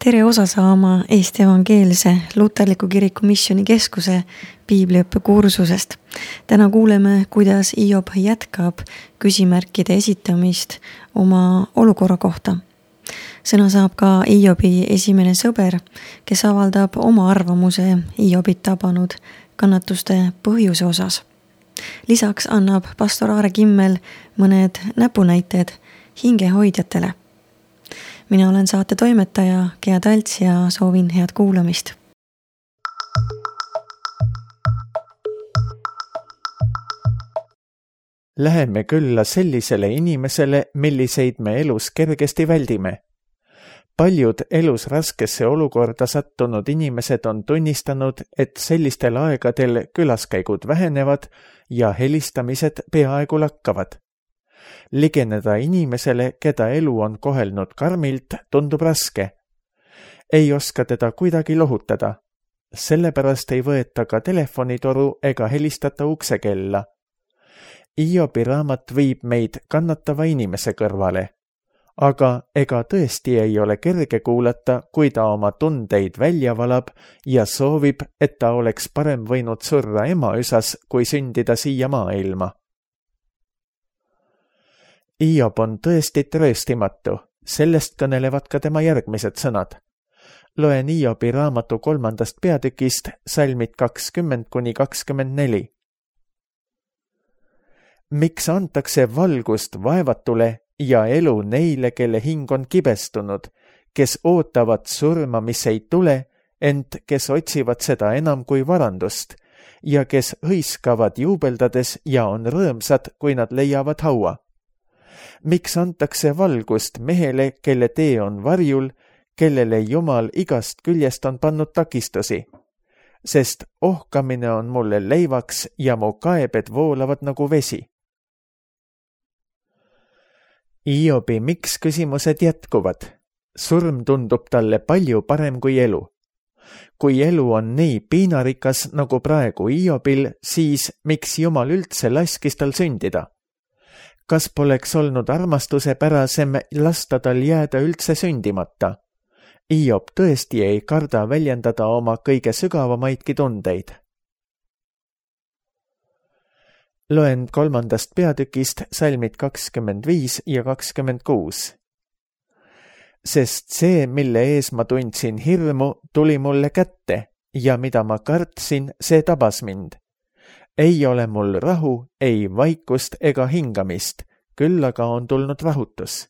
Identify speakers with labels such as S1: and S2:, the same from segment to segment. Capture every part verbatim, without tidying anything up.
S1: Tere osa saama Eesti Evangeelse Luterliku Kiriku Missioni Keskuse piibliõppe kursusest. Täna kuuleme, kuidas Hiob jätkab küsimärkide esitamist oma olukorra kohta. Sõna saab ka Hiobi esimene sõber, kes avaldab oma arvamuse Hiobit tabanud kannatuste põhjuse osas. Lisaks annab pastor Aare Kimmel mõned näpunäited hingehoidjatele. Mina olen saate toimetaja Gea Talts ja soovin head kuulamist.
S2: Läheme külla sellisele inimesele, milliseid me elus kergesti väldime. Paljud elus raskesse olukorda sattunud inimesed on tunnistanud, et sellistel aegadel külaskäigud vähenevad ja helistamised peaaegu lakkavad. Ligeneda inimesele, keda elu on kohelnud karmilt, tundub raske. Ei oska teda kuidagi lohutada. Sellepärast ei võeta ka telefonitoru ega helistata uksekella. Hiobi raamat viib meid kannatava inimese kõrvale. Aga ega tõesti ei ole kerge kuulata, kui ta oma tundeid välja valab ja soovib, et ta oleks parem võinud surra emaüsas, kui sündida siia maailma. Hiob on tõesti trööstimatu, sellest kõnelevad ka tema järgmised sõnad. Loen Hiobi raamatu kolmandast peatükist salmid kakskümmend kuni kakskümmend neli. Miks antakse valgust vaevatule ja elu neile, kelle hing on kibestunud, kes ootavad surma, mis ei tule, ent kes otsivad seda enam kui varandust ja kes hõiskavad juubeldades ja on rõõmsad, kui nad leiavad haua. Miks antakse valgust mehele, kelle tee on varjul, kellele Jumal igast küljest on pannud takistusi? Sest ohkamine on mulle leivaks ja mu kaebed voolavad nagu vesi. Hiobi miks küsimused jätkuvad? Surm tundub talle palju parem kui elu. Kui elu on nii piinarikas nagu praegu Hiobil, siis miks Jumal üldse laskis tal sündida? Kas poleks olnud armastuse pärasem lasta tal jääda üldse sündimata? Hiob tõesti ei karda väljendada oma kõige sügavamaidki tundeid. Loen kolmandast peatükist salmid kakskümmend viis ja kakskümmend kuus. Sest see, mille ees ma tundsin hirmu, tuli mulle kätte ja mida ma kartsin, see tabas mind. Ei ole mul rahu, ei vaikust ega hingamist, küll aga on tulnud rahutus.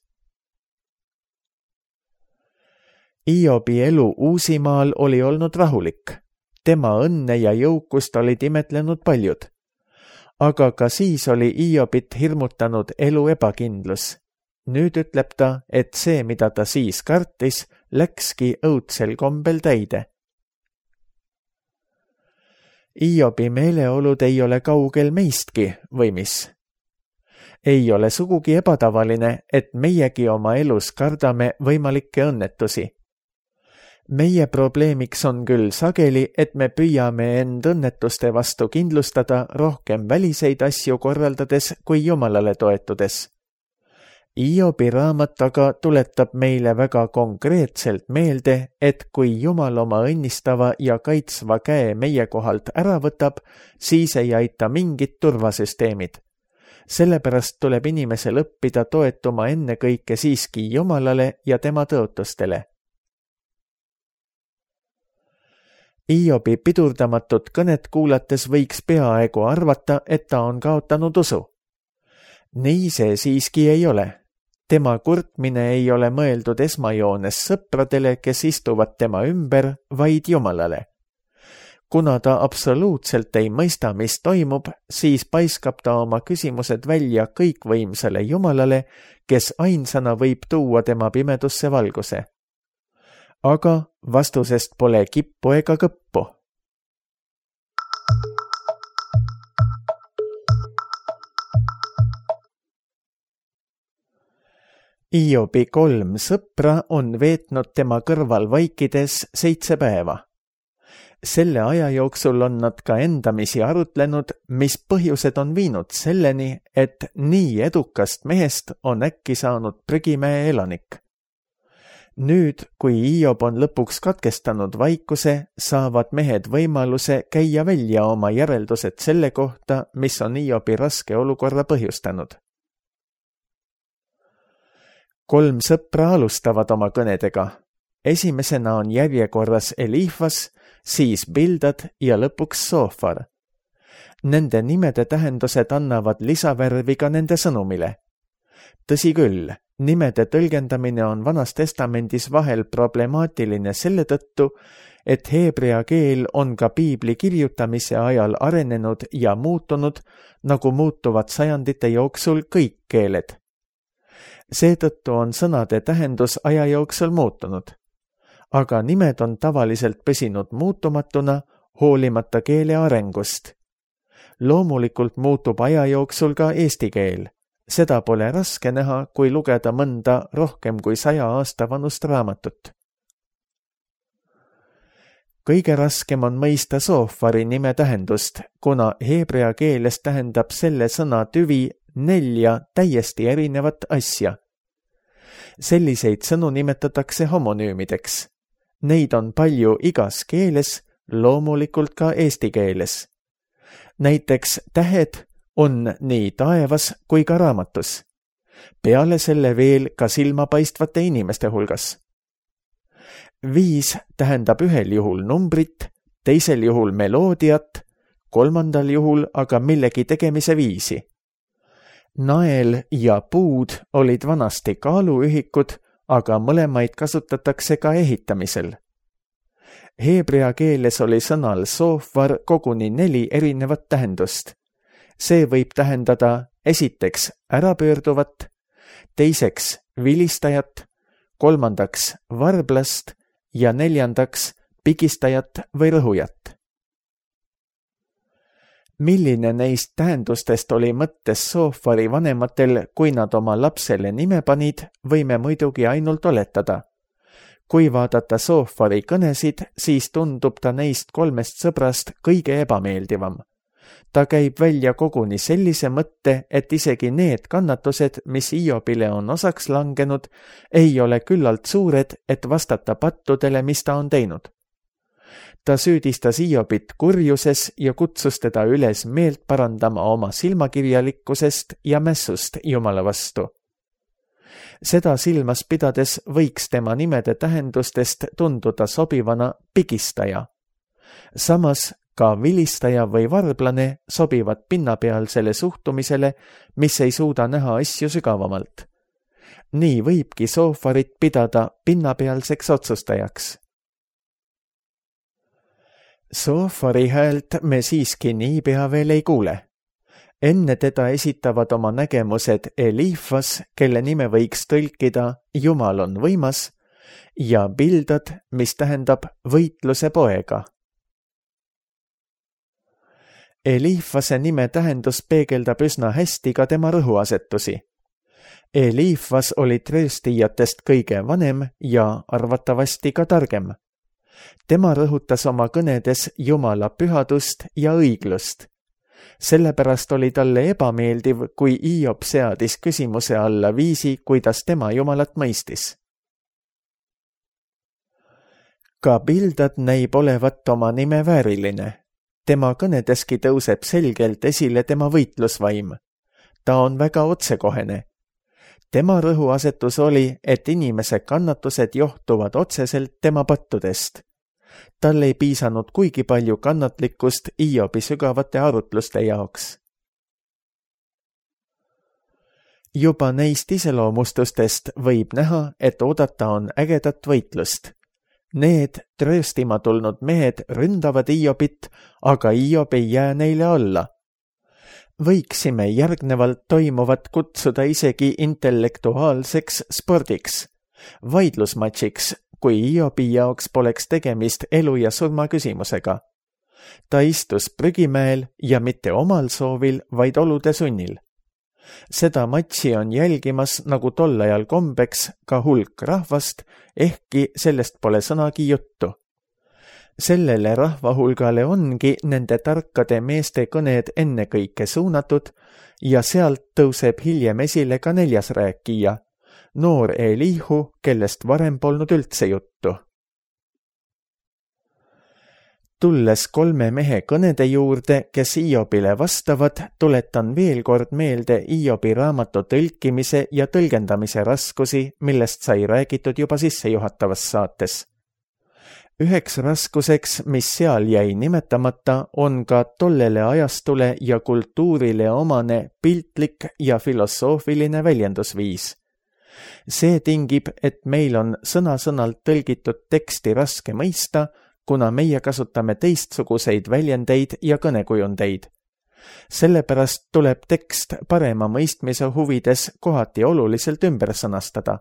S2: Hiobi elu Uusimaal oli olnud rahulik. Tema õnne ja jõukust olid imetlenud paljud. Aga ka siis oli Hiobit hirmutanud elu ebakindlus. Nüüd ütleb ta, et see, mida ta siis kartis, läkski õudsel kombel täide. Hiobi meeleolud ei ole kaugel meistki, või mis? Ei ole sugugi ebatavaline, et meiegi oma elus kardame võimalikke õnnetusi. Meie probleemiks on küll sageli, et me püüame end õnnetuste vastu kindlustada rohkem väliseid asju korraldades kui Jumalale toetudes. Hiobi raamat aga tuletab meile väga konkreetselt meelde, et kui Jumal oma õnnistava ja kaitsva käe meie kohalt ära võtab, siis ei aita mingid turvasüsteemid. Sellepärast tuleb inimesel õppida toetuma ennekõike siiski Jumalale ja tema tõotustele. Hiobi pidurdamatut kõnet kuulates võiks peaaegu arvata, et ta on kaotanud usu. Nii see siiski ei ole. Tema kurtmine ei ole mõeldud esmajoones sõpradele, kes istuvad tema ümber, vaid Jumalale. Kuna ta absoluutselt ei mõista, mis toimub, siis paiskab ta oma küsimused välja kõikvõimsale Jumalale, kes ainsana võib tuua tema pimedusse valguse. Aga vastusest pole kippu ega kõppu. Hiobi kolm sõpra on veetnud tema kõrval vaikides seitse päeva. Selle aja jooksul on nad ka endamisi arutlenud, mis põhjused on viinud selleni, et nii edukast mehest on äkki saanud prügimäe elanik. Nüüd, kui Hiob on lõpuks katkestanud vaikuse, saavad mehed võimaluse käia välja oma järeldused selle kohta, mis on Hiobi raske olukorra põhjustanud. Kolm sõpra alustavad oma kõnedega. Esimesena on järjekorras Elifas, siis Bildad ja lõpuks Soofar. Nende nimede tähendused annavad lisavärvi ka nende sõnumile. Tõsi küll, nimede tõlgendamine on Vanas Testamendis vahel problemaatiline selle tõttu, et heebrea keel on ka piibli kirjutamise ajal arenenud ja muutunud, nagu muutuvad sajandite jooksul kõik keeled. Seetõttu on sõnade tähendus aja jooksul muutunud. Aga nimed on tavaliselt püsinud muutumatuna, hoolimata keele arengust. Loomulikult muutub aja jooksul ka eesti keel. Seda pole raske näha, kui lugeda mõnda rohkem kui saja aasta vanust raamatut. Kõige raskem on mõista Soofari nime tähendust, kuna heebrea keeles tähendab selle sõna tüvi nelja täiesti erinevat asja. Selliseid sõnu nimetatakse homonüümideks. Neid on palju igas keeles, loomulikult ka eesti keeles. Näiteks tähed on nii taevas kui ka raamatus. Peale selle veel ka silmapaistvate inimeste hulgas. Viis tähendab ühel juhul numbrit, teisel juhul meloodiat, kolmandal juhul aga millegi tegemise viisi. Nael ja puud olid vanasti kaaluühikud, aga mõlemaid kasutatakse ka ehitamisel. Heebrea keeles oli sõnal soofar koguni neli erinevat tähendust. See võib tähendada esiteks ärapöörduvat, teiseks vilistajat, kolmandaks varblast ja neljandaks pigistajat või rõhujat. Milline neist tähendustest oli mõttes Soofari vanematel, kui nad oma lapsele nime panid, võime muidugi ainult oletada. Kui vaadata Soofari kõnesid, siis tundub ta neist kolmest sõbrast kõige ebameeldivam. Ta käib välja koguni sellise mõtte, et isegi need kannatused, mis Hiobile on osaks langenud, ei ole küllalt suured, et vastata pattudele, mis ta on teinud. Ta süüdistas Hiobit kurjuses ja kutsus teda üles meelt parandama oma silmakirjalikkusest ja mässust Jumala vastu. Seda silmas pidades võiks tema nimede tähendustest tunduda sobivana pigistaja. Samas ka vilistaja või varblane sobivad pinnapealsele suhtumisele, mis ei suuda näha asju sügavamalt. Nii võibki Soofarit pidada pinnapealseks otsustajaks. Soofari häält me siiski niipea veel ei kuule. Enne teda esitavad oma nägemused Elifas, kelle nime võiks tõlkida Jumal on võimas, ja Bildad, mis tähendab võitluse poega. Elifase nime tähendus peegeldab üsna hästi ka tema rõhuasetusi. Elifas oli trööstijatest kõige vanem ja arvatavasti ka targem. Tema rõhutas oma kõnedes Jumala pühadust ja õiglust. Sellepärast oli talle ebameeldiv, kui Hiob seadis küsimuse alla viisi, kuidas tema Jumalat mõistis. Ka Bildad näib olevat oma nime vääriline. Tema kõnedeski tõuseb selgelt esile tema võitlusvaim. Ta on väga otsekohene. Tema rõhuasetus oli, et inimese kannatused johtuvad otseselt tema pattudest. Tal ei piisanud kuigi palju kannatlikkust Hiobi sügavate arutluste jaoks. Juba neist iseloomustustest võib näha, et oodata on ägedat võitlust. Need trööstima tulnud mehed ründavad Hiobit, aga Hiob ei jää neile alla. Võiksime järgnevalt toimuvat kutsuda isegi intellektuaalseks spordiks, vaidlusmatšiks, kui Hiobi jaoks poleks tegemist elu ja surma küsimusega. Ta istus prügimäel ja mitte omal soovil, vaid olude sunnil. Seda matši on jälgimas nagu tol ajal kombeks ka hulk rahvast, ehkki sellest pole sõnagi juttu. Sellele rahvahulgale ongi nende tarkade meeste kõned ennekõike suunatud ja sealt tõuseb hiljem esile ka neljas rääkija, noor Elihu, kellest varem polnud üldse juttu. Tulles kolme mehe kõnede juurde, kes Iobile vastavad, tuletan veel kord meelde Iobi raamatu tõlkimise ja tõlgendamise raskusi, millest sai räägitud juba sissejuhatavas saates. Üheks raskuseks, mis seal jäi nimetamata, on ka tollele ajastule ja kultuurile omane piltlik ja filosoofiline väljendusviis. See tingib, et meil on sõna-sõnalt tõlgitud teksti raske mõista, kuna meie kasutame teistsuguseid väljendeid ja kõnekujundeid. Sellepärast tuleb tekst parema mõistmise huvides kohati oluliselt ümber sõnastada.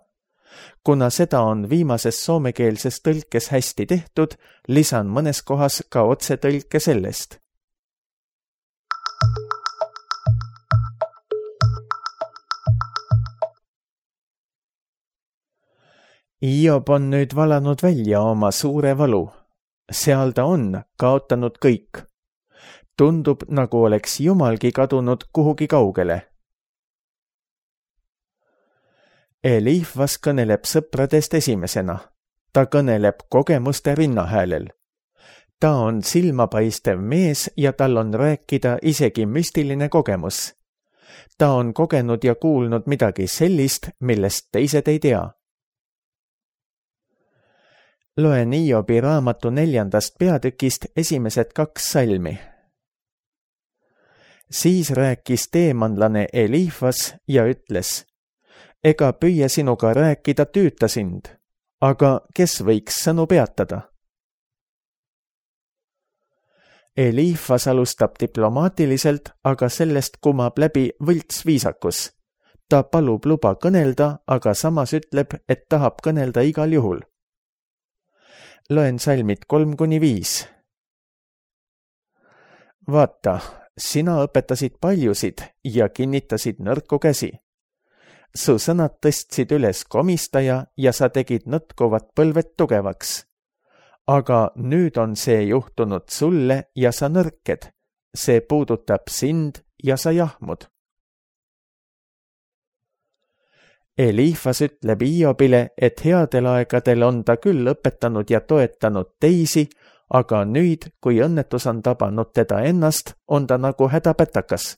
S2: Kuna seda on viimases soomekeelses tõlkes hästi tehtud, lisan mõnes kohas ka otsetõlke sellest. Iob on nüüd valanud välja oma suure valu. Seal ta on kaotanud kõik. Tundub, nagu oleks Jumalgi kadunud kuhugi kaugele. Eliifas kõneleb sõpradest esimesena. Ta kõneleb kogemuste rinnahäälel. Ta on silmapaistev mees ja tal on rääkida isegi müstiline kogemus. Ta on kogenud ja kuulnud midagi sellist, millest teised ei tea. Loen Iobi raamatu neljandast peatükist esimesed kaks salmi. Siis rääkis teemanlane Eliifas ja ütles, ega püüe sinuga rääkida tüüta sind, aga kes võiks sõnu peatada? Eliifas alustab diplomaatiliselt, aga sellest kumab läbi võlts viisakus. Ta palub luba kõnelda, aga samas ütleb, et tahab kõnelda igal juhul. Loen salmid kolm kuni viis. Vaata, sina õpetasid paljusid ja kinnitasid nõrku käsi. Su sõnad tõstsid üles komistaja ja sa tegid nõtkuvat põlved tugevaks. Aga nüüd on see juhtunud sulle ja sa nõrked. See puudutab sind ja sa jahmud. Eliifas ütleb Iobile, et headel aegadel on ta küll õpetanud ja toetanud teisi, aga nüüd, kui õnnetus on tabanud teda ennast, on ta nagu hädapätakas.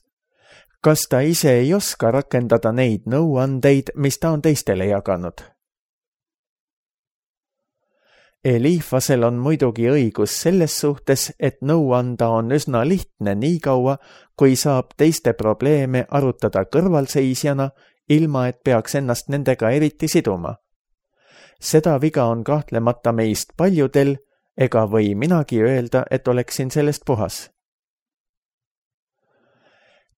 S2: Kas ta ise ei oska rakendada neid nõuandeid, mis ta on teistele jaganud? Eliifasel on muidugi õigus selles suhtes, et nõu anda on üsna lihtne nii kaua, kui saab teiste probleeme arutada kõrvalseisjana, ilma et peaks ennast nendega eriti siduma. Seda viga on kahtlemata meist paljudel, ega või minagi öelda, et oleksin sellest puhas.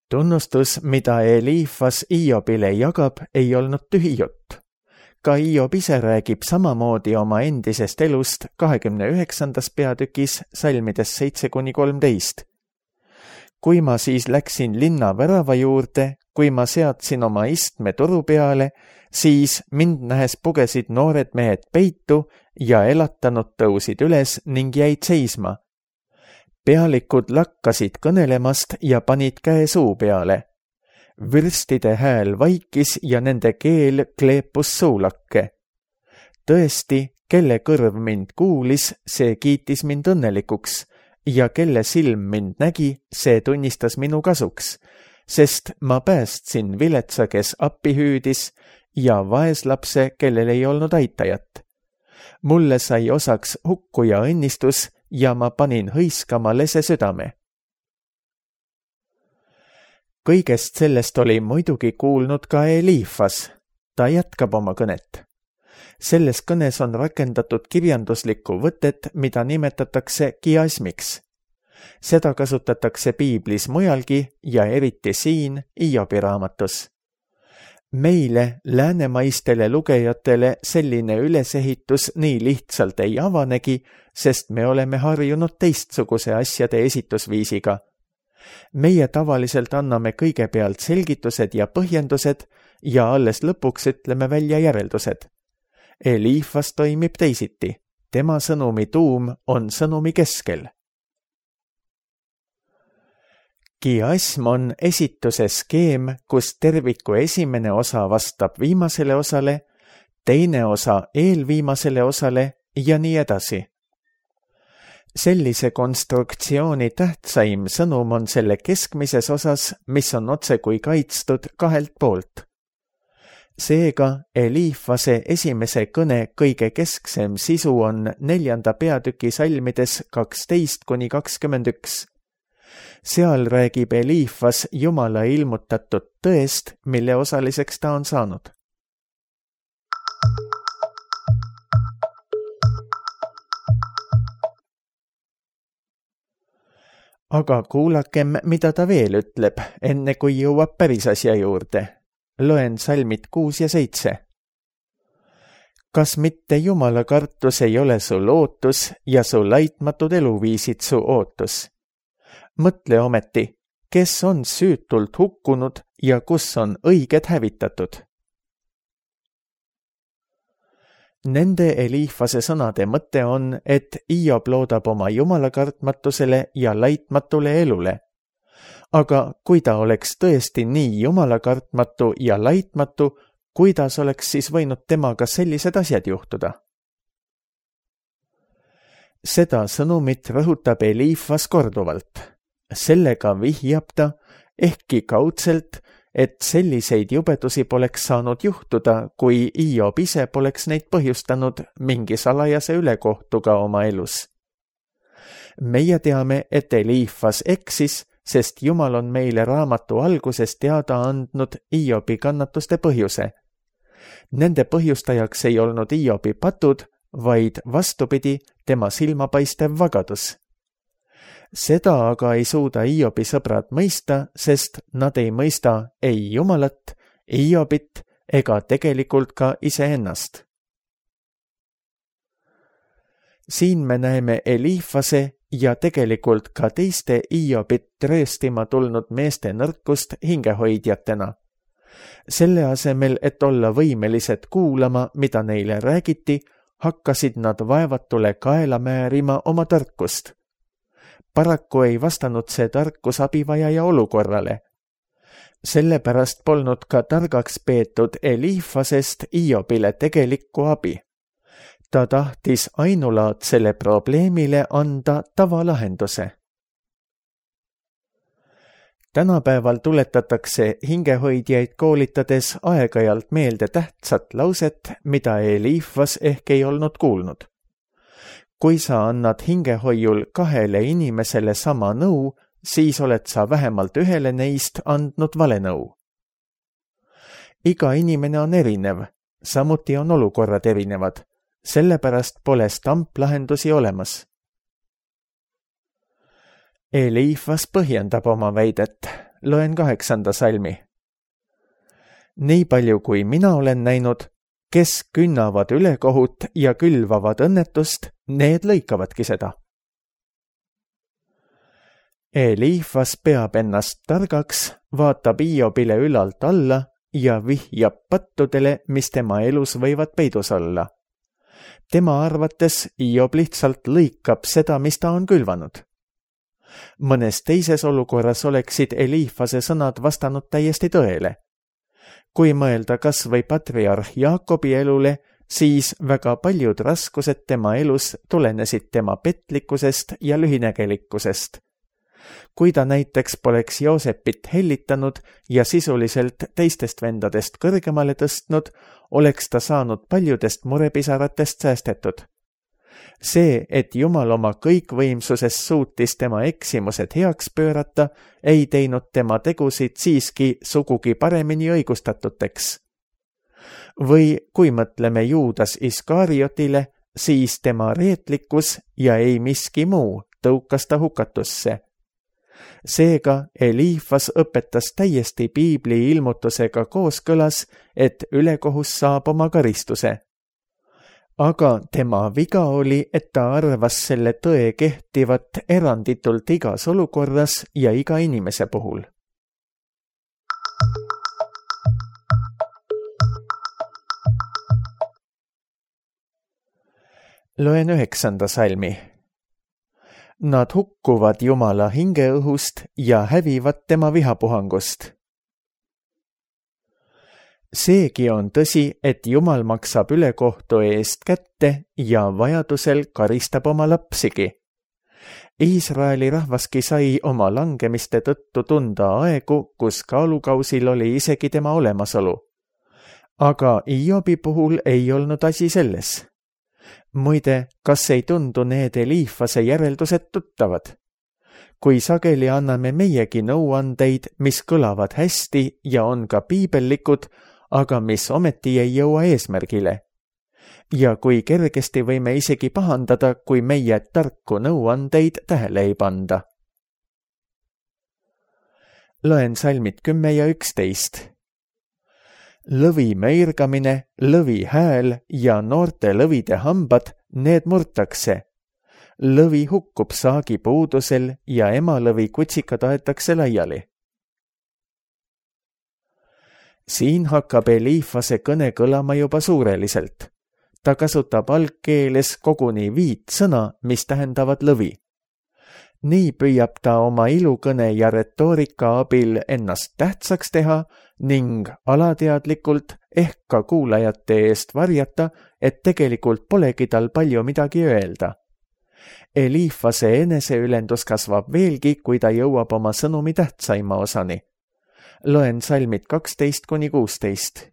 S2: Tunnustus, mida Eliifas Iobile jagab, ei olnud tühi jutt. Ka Iob ise räägib samamoodi oma endisest elust kahekümne üheksandas peatükis salmides seitse kuni kolmteist. Kui ma siis läksin linna värava juurde, kui ma seadsin oma istme turu peale, siis mind nähes pugesid noored mehed peitu ja elatanud tõusid üles ning jäid seisma. Pealikud lakkasid kõnelemast ja panid käe suu peale. Vürstide hääl vaikis ja nende keel kleepus suulakke. Tõesti, kelle kõrv mind kuulis, see kiitis mind õnnelikuks ja kelle silm mind nägi, see tunnistas minu kasuks, sest ma päästsin viletsa, kes appi hüüdis ja vaeslapse, kellel ei olnud aitajat. Mulle sai osaks hukkuja õnnistus ja ma panin hõiskama lese südame. Kõigest sellest oli muidugi kuulnud ka Eliifas. Ta jätkab oma kõnet. Selles kõnes on rakendatud kirjanduslikku võtet, mida nimetatakse kiasmiks. Seda kasutatakse piiblis mujalgi ja eriti siin Iobi raamatus. Meile, läänemaistele lugejatele, selline ülesehitus nii lihtsalt ei avanegi, sest me oleme harjunud teistsuguse asjade esitusviisiga. Meie tavaliselt anname kõigepealt selgitused ja põhjendused ja alles lõpuks ütleme välja järeldused. Eliifas toimib teisiti. Tema sõnumi tuum on sõnumi keskel. Kiasm on esituse skeem, kus terviku esimene osa vastab viimasele osale teine osa eelviimasele osale ja nii edasi. Sellise konstruktsiooni tähtsaim sõnum on selle keskmises osas, mis on otsekui kaitstud kahelt poolt. Seega Eliifase esimese kõne kõige kesksem sisu on neljanda peatüki salmides kaksteist kuni kakskümmend üks. Seal räägib Eliifas Jumala ilmutatud tõest, mille osaliseks ta on saanud. Aga kuulakem, mida ta veel ütleb, enne kui jõuab päris asja juurde. Loen salmid kuus ja seitse. Kas mitte Jumala kartus ei ole su lootus ja su laitmatud eluviisid su ootus? Mõtle ometi, kes on süütult hukkunud ja kus on õiged hävitatud. Nende Eliifase sõnade mõte on, et Hiob loodab oma jumalakartmatusele ja laitmatule elule. Aga kui ta oleks tõesti nii jumalakartmatu ja laitmatu, kuidas oleks siis võinud temaga sellised asjad juhtuda? Seda sõnumit rõhutab Eliifas korduvalt. Sellega vihjab ta, ehkki kaudselt, et selliseid jubedusi poleks saanud juhtuda, kui Hiob ise poleks neid põhjustanud mingi salajase ülekohtuga oma elus. Meie teame, et Eliifas eksis, sest Jumal on meile raamatu alguses teada andnud Hiobi kannatuste põhjuse. Nende põhjustajaks ei olnud Hiobi patud, vaid vastupidi, tema silmapaistev vagadus. Seda aga ei suuda Hiobi sõbrad mõista, sest nad ei mõista ei Jumalat, Hiobit ega tegelikult ka iseennast. Siin me näeme Eliifase ja tegelikult ka teiste Hiobit rööstima tulnud meeste nõrkust hingehoidjatena. Selle asemel, et olla võimelised kuulama, mida neile räägiti, hakkasid nad vaevatule kaela määrima oma tarkust. Paraku ei vastanud see tarkus abivajaja olukorrale. Sellepärast polnud ka targaks peetud Eliifasest Hiobile tegelikku abi. Ta tahtis ainulaadsele probleemile anda tavalahenduse. Tänapäeval tuletatakse hingehoidjaid koolitades aeg-ajalt meelde tähtsat lauset, mida Eliifas ehk ei olnud kuulnud. Kui sa annad hingehoiul kahele inimesele sama nõu, siis oled sa vähemalt ühele neist andnud vale nõu. Iga inimene on erinev, samuti on olukorrad erinevad. Sellepärast pole stamplahendusi olemas. Eliifas põhjendab oma väidet. Loen kaheksanda salmi. Nii palju kui mina olen näinud, kes künnavad ülekohut ja külvavad õnnetust, need lõikavadki seda. Eliifas peab ennast targaks, vaatab Hiobile ülalt alla ja vihjab pattudele, mis tema elus võivad peidus olla. Tema arvates Hiob lihtsalt lõikab seda, mis ta on külvanud. Mõnes teises olukorras oleksid Eliifase sõnad vastanud täiesti tõele. Kui mõelda kas või patriarh Jaakobi elule, siis väga paljud raskused tema elus tulenesid tema petlikkusest ja lühinägelikkusest. Kui ta näiteks poleks Joosepit hellitanud ja sisuliselt teistest vendadest kõrgemale tõstnud, oleks ta saanud paljudest murepisaratest säästetud. See, et Jumal oma kõikvõimsuses suutis tema eksimused heaks pöörata, ei teinud tema tegusid siiski sugugi paremini õigustatuteks. Või kui mõtleme Juudas Iskariotile, siis tema reetlikkus ja ei miski muu tõukas ta hukatusse. Seega Eliifas õpetas täiesti piibli ilmutusega kooskõlas, et ülekohus saab oma karistuse. Aga tema viga oli, et ta arvas selle tõe kehtivat eranditult igas olukorras ja iga inimese puhul. Loen üheksanda salmi. Nad hukkuvad Jumala hingeõhust ja hävivad tema vihapuhangust. seegi on tõsi, et Jumal maksab ülekohtu eest kätte ja vajadusel karistab oma lapsigi. Iisraeli rahvaski sai oma langemiste tõttu tunda aegu, kus kaalukausil oli isegi tema olemasolu. Aga Iobi puhul ei olnud asi selles. Muide, kas ei tundu need Eliifase järeldused tuttavad? Kui sageli anname meiegi nõuandeid, mis kõlavad hästi ja on ka piibellikud, aga mis ometi ei jõua eesmärgile. Ja kui kergesti võime isegi pahandada, kui meie tarku nõuandeid tähele ei panda. Loen salmid kümme ja üksteist. Lõvi möirgamine, lõvi hääl ja noorte lõvide hambad, need murtakse. Lõvi hukkub saagi puudusel ja emalõvi kutsikad aetakse laiali. Siin hakkab Eliifase kõne kõlama juba suureliselt. Ta kasutab algkeeles koguni viit sõna, mis tähendavad lõvi. Nii püüab ta oma ilukõne ja retoorika abil ennast tähtsaks teha ning alateadlikult ehk ka kuulajate eest varjata, et tegelikult polegi tal palju midagi öelda. Eliifase eneseülendus kasvab veelgi, kui ta jõuab oma sõnumi tähtsaima osani. Loen salmid kaksteist kuni kuusteist.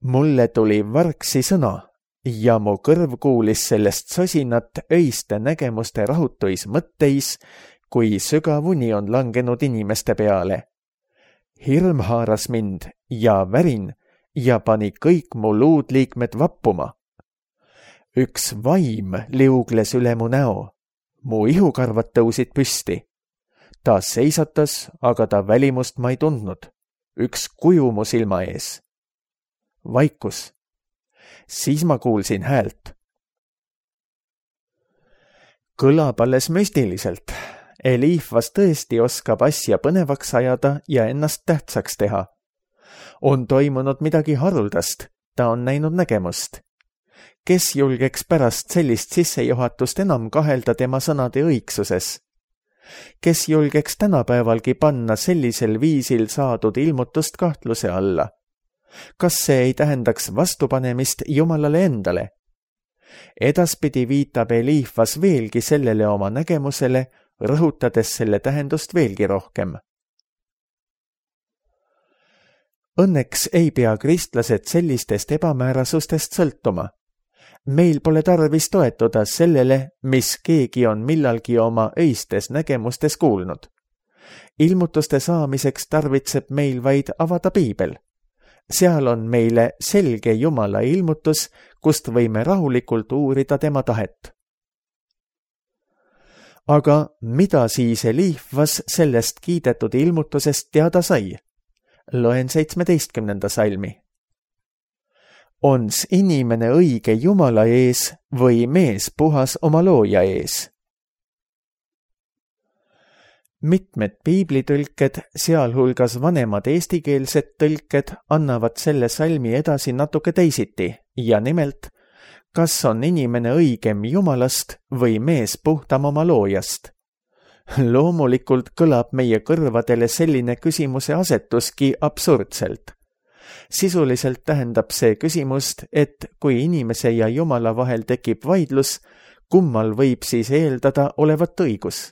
S2: Mulle tuli vargsi sõna ja mu kõrv kuulis sellest sosinat öiste nägemuste rahutuis mõtteis, kui sügavuni on langenud inimeste peale. Hirm haaras mind ja värin ja pani kõik mu luudliikmed vappuma. Üks vaim liugles üle mu näo. Mu ihukarvad tõusid püsti. Ta seisatas, aga ta välimust ma ei tundnud. Üks kuju mu silma ees. Vaikus. Siis ma kuulsin häält. Kõlab alles müstiliselt. Eliifas tõesti oskab asja põnevaks ajada ja ennast tähtsaks teha. On toimunud midagi haruldast. Ta on näinud nägemust. Kes julgeks pärast sellist sissejuhatust enam kahelda tema sõnade õigsuses? Kes julgeks tänapäevalgi panna sellisel viisil saadud ilmutust kahtluse alla? Kas see ei tähendaks vastupanemist Jumalale endale? Edaspidi viitab Eliifas veelgi sellele oma nägemusele, rõhutades selle tähendust veelgi rohkem. Õnneks ei pea kristlased sellistest ebamäärasustest sõltuma. Meil pole tarvis toetuda sellele, mis keegi on millalgi oma öistes nägemustes kuulnud. Ilmutuste saamiseks tarvitseb meil vaid avada piibel. Seal on meile selge Jumala ilmutus, kust võime rahulikult uurida tema tahet. Aga mida siis Eliifas sellest kiidetud ilmutusest teada sai? Loen seitsmeteistkümnenda salmi. Ons inimene õige Jumala ees või mees puhas oma looja ees? Mitmed piiblitõlked, sealhulgas vanemad eestikeelsed tõlked, annavad selle salmi edasi natuke teisiti ja nimelt, kas on inimene õigem Jumalast või mees puhtam oma loojast? Loomulikult kõlab meie kõrvadele selline küsimuse asetuski absurdselt. Sisuliselt tähendab see küsimust, et kui inimese ja Jumala vahel tekib vaidlus, kummal võib siis eeldada olevat õigus?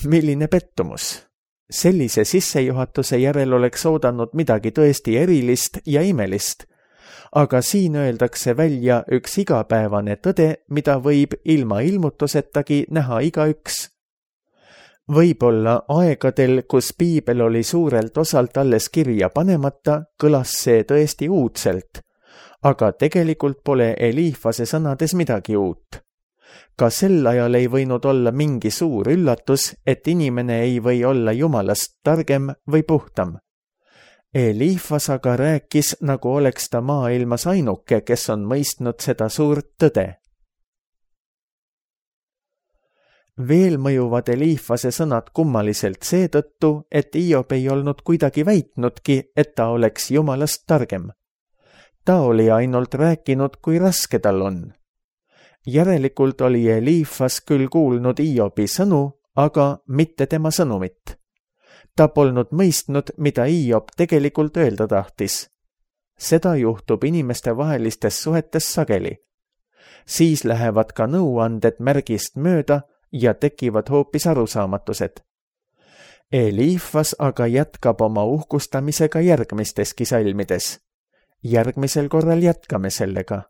S2: Milline pettumus! Sellise sissejuhatuse järel oleks oodanud midagi tõesti erilist ja imelist, aga siin öeldakse välja üks igapäevane tõde, mida võib ilma ilmutusetagi näha igaüks. Võib-olla aegadel, kus piibel oli suurelt osalt alles kirja panemata, kõlas see tõesti uudselt, aga tegelikult pole Eliifase sõnades midagi uut. Ka sel ajal ei võinud olla mingi suur üllatus, et inimene ei või olla Jumalast targem või puhtam. Eliifas aga rääkis, nagu oleks ta maailmas ainuke, kes on mõistnud seda suurt tõde. Veel mõjuvad Eliifase sõnad kummaliselt seetõttu, et Iob ei olnud kuidagi väitnudki, et ta oleks Jumalast targem. Ta oli ainult rääkinud, kui raske tal on. Järelikult oli Eliifas küll kuulnud Iobi sõnu, aga mitte tema sõnumit. ta polnud mõistnud, mida Hiob tegelikult öelda tahtis. Seda juhtub inimestevahelistes suhetes sageli. Siis lähevad ka nõuanded märgist mööda ja tekivad hoopis arusaamatused. Eliifas aga jätkab oma uhkustamisega järgmisteski salmides. Järgmisel korral jätkame sellega.